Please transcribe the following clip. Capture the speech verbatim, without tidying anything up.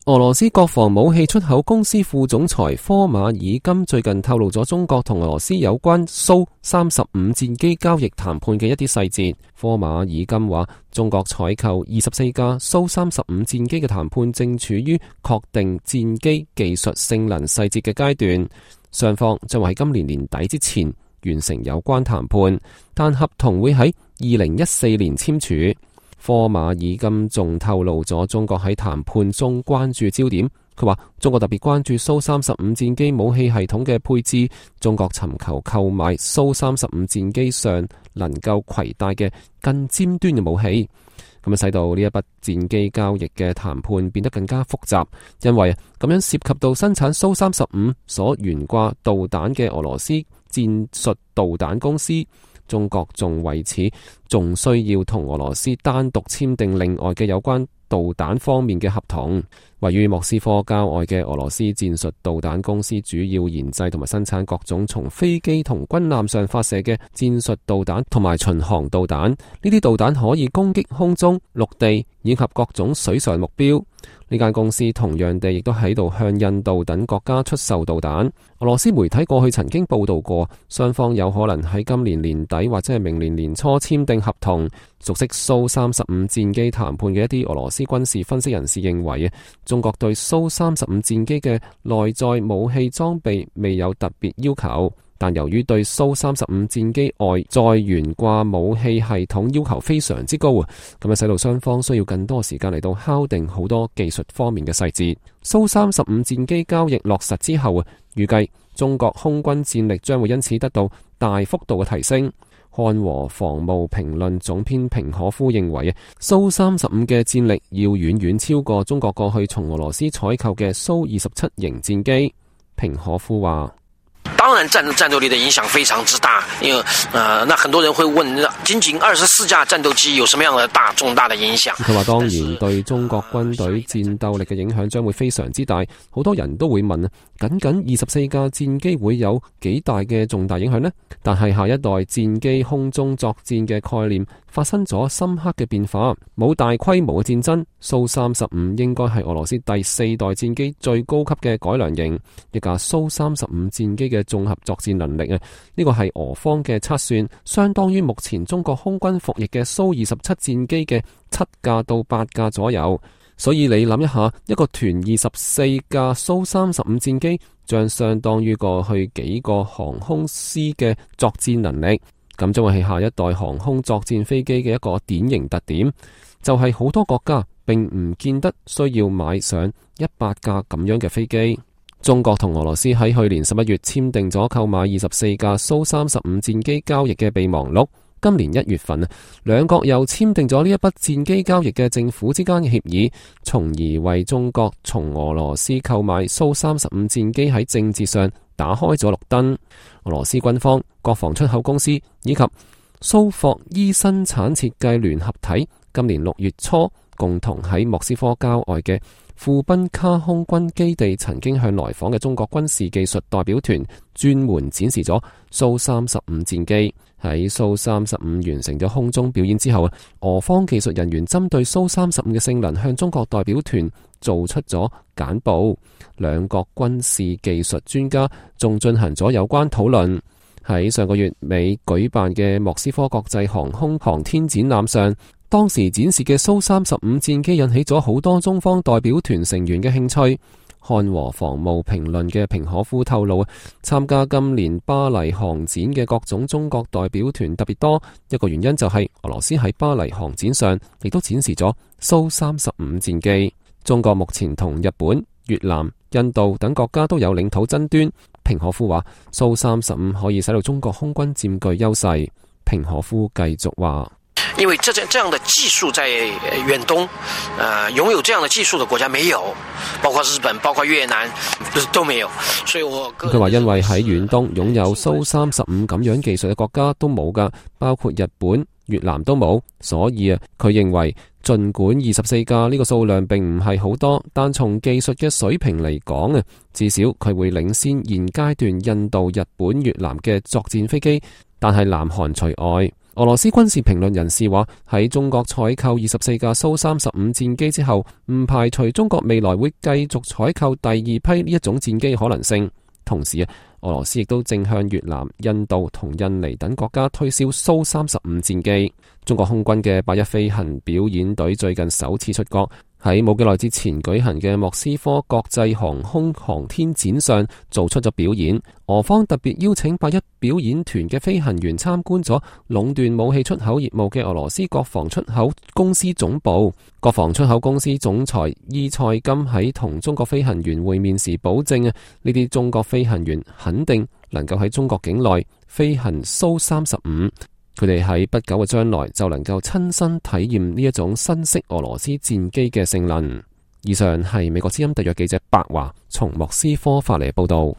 俄羅斯國防武器出口公司副總裁科馬爾金最近透露咗中國同俄羅斯有關蘇三十五戰機交易談判嘅一啲細節。科馬爾金話，中國採購二十四架蘇三十五戰機嘅談判正處於確定戰機技術性能細節嘅階段，雙方將會喺今年年底之前完成有關談判，但合同會喺二零一四年簽署。科馬爾金仲透露咗中國喺談判中關注焦點，佢話中國特別關注蘇三十五戰機武器系統嘅配置，中國尋求購買蘇三十五戰機上能夠攜帶嘅更尖端嘅武器，咁啊使到呢一筆戰機交易嘅談判變得更加複雜，因為咁樣涉及到生產蘇三十五所懸掛導彈嘅俄羅斯戰術導彈公司。中國仲為此仲需要同俄羅斯單獨簽訂另外嘅有關導彈方面嘅合同。位於莫斯科郊外嘅俄羅斯戰術導彈公司主要研製同埋生產各種從飛機同軍艦上發射嘅戰術導彈同埋巡航導彈，呢啲導彈可以攻擊空中、陸地以及各種水上目標。呢間公司同樣地亦都喺度向印度等國家出售導彈。俄羅斯媒體過去曾經報道過，雙方有可能喺今年年底或者係明年年初簽訂合同。熟悉蘇三十五戰機談判嘅一啲俄羅斯軍事分析人士認為，中國對蘇三十五戰機嘅內在武器裝備未有特別要求，但由於對蘇三十五戰機外在懸掛武器系統要求非常之高啊，咁啊使到雙方需要更多時間嚟到敲定好多技術方面嘅細節。蘇三十五戰機交易落實之後啊，預計中國空軍戰力將會因此得到大幅度嘅提升。漢和防務評論總編平可夫認為，蘇三十五嘅戰力要遠遠超過中國過去從俄羅斯採購嘅蘇二十七型戰機。平可夫話，當然戰戰鬥力的影響非常之大，因為呃，那很多人會問，僅僅二十四架戰鬥機有什麼樣的大重大的影響？佢話當然對中國軍隊戰鬥力嘅影響將會非常之大，好多人都會問啊，僅僅二十四架戰機會有幾大嘅重大影響呢？但係下一代戰機空中作戰嘅概念發生咗深刻嘅變化，冇大規模嘅戰爭，蘇三十五應該係俄羅斯第四代戰機最高級嘅改良型，一架蘇三十五戰機嘅綜合作戰能力啊，呢個係俄方嘅測算，相當於目前中國空軍服役嘅蘇二十七戰機嘅七架到八架左右。所以你諗一下，一個團二十四架蘇三十五戰機，將相當於過去幾個航空師嘅作戰能力。咁將會係下一代航空作戰飛機嘅一個典型特點，就係好多國家並唔見得需要買上一百架咁樣嘅飛機。中國同俄羅斯喺去年十一月簽訂咗購買二十四架蘇三十五戰機交易嘅備忘錄。今年一月份啊，兩國又簽訂咗呢一筆戰機交易嘅政府之間嘅協議，從而為中國從俄羅斯購買蘇三十五戰機喺政治上打開咗綠燈。俄羅斯軍方、國防出口公司以及蘇霍伊生產設計聯合體今年六月初共同喺莫斯科郊外嘅庫賓卡空軍基地曾經向來訪嘅中國軍事技術代表團專門展示咗蘇三十五戰機。喺蘇三十五完成咗空中表演之後啊，俄方技術人員針對蘇三十五嘅性能向中國代表團做出咗簡報。兩國軍事技術專家仲進行咗有關討論。喺上個月尾舉辦嘅莫斯科國際航空航天展覽上，當時展示嘅蘇三十五戰機引起咗好多中方代表團成員嘅興趣。漢和防務評論嘅平可夫透露，參加今年巴黎航展嘅各種中國代表團特別多，一個原因就係俄羅斯喺巴黎航展上亦都展示咗蘇三十五戰機。中國目前同日本、越南、印度等國家都有領土爭端。平可夫話，蘇三十五可以使到中國空軍佔據優勢。平可夫繼續話，因為這這樣的技術在遠東，呃，擁有這樣的技術的國家沒有，包括日本、包括越南都沒有，所以我佢話因為喺遠東擁有蘇三十五咁樣技術嘅國家都冇噶，包括日本、越南都冇，所以啊，佢認為盡管二十四架呢個數量並唔係好多，但從技術嘅水平嚟講啊，至少佢會領先現階段印度、日本、越南嘅作戰飛機，但係南韓除外。俄羅斯軍事評論人士話，喺中國採購二十四架蘇三十五戰機之後，唔排除中國未來會繼續採購第二批呢一種戰機可能性。同時啊，俄羅斯亦都正向越南、印度同印尼等國家推銷蘇三十五戰機。中國空軍嘅八一飛行表演隊最近首次出國，喺冇幾耐之前舉行嘅莫斯科國際航空航天展上做出咗表演。俄方特別邀請八一表演團嘅飛行員參觀咗壟斷武器出口業務嘅俄羅斯國防出口公司總部。國防出口公司總裁伊塞金喺同中國飛行員會面時保證啊，呢啲中國飛行員肯定能夠喺中國境內飛行蘇三十五。佢哋喺不久嘅將來就能夠親身體驗呢一種新式俄羅斯戰機嘅性能。以上係美國之音特約記者白華從莫斯科發嚟嘅報道。